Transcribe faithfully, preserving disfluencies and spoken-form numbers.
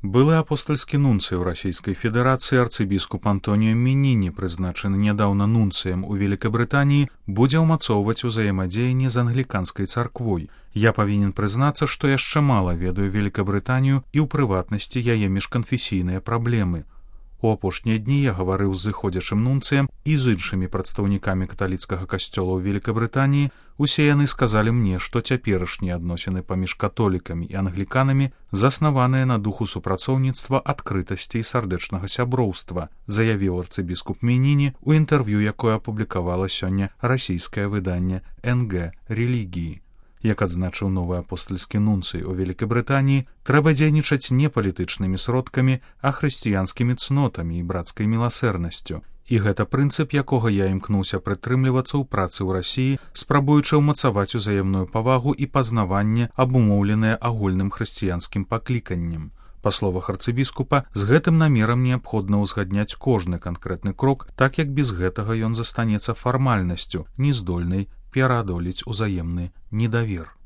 Былы апостальскі нунцый у Расійскай Федэрацыі арцыбіскуп Антоніо Меніні, прызначаны нядаўна нунцыем у Великабрытаніі, будзе ўмацоўваць узаемадзеянне з англіканскай царквой. Я павінен прызнацца, што яшчэ мала ведаю Великабрытанію і ў прыватнасці яе міжканфесійныя праблемы. У апошнія дні я гаварыў з зыходзячым нунцыем і з іншымі прадстаўнікамі каталіцкага касцёла ў Великабрытаніі. Усе яны сказалі мне, што цяперашнія адносіны паміж католікамі і англіканамі заснаваныя на духу супрацоўніцтва, адкрытасці і сардэчнага сяброўства, заявіў арцыбіскуп Меніні у інтэрв'ю, якое апублікавала сёння расійскае выданне эн гэ «Рэлігіі». Як адзначыў новы апостальскі нунцый у Великабрытаніі, трэба дзейнічаць не палітычнымі сродкамі, а хрысціянскімі цнотамі і брацкай міласэрнасцю. І гэта прынцып, якога я імкнуўся прытрымлівацца ў працы ў Расіі, спрабуючы ўмацаваць узаемную павагу і пазнаванне, абумоўленае агульным хрысціянскім пакліканнем. Па словах арцыбіскупа, з гэтым намерам неабходна ўзгадняць кожны канкрэтны крок, так як без гэтага ён застанецца фармальнасцю, не здольнай пераадолець узаемны недавер.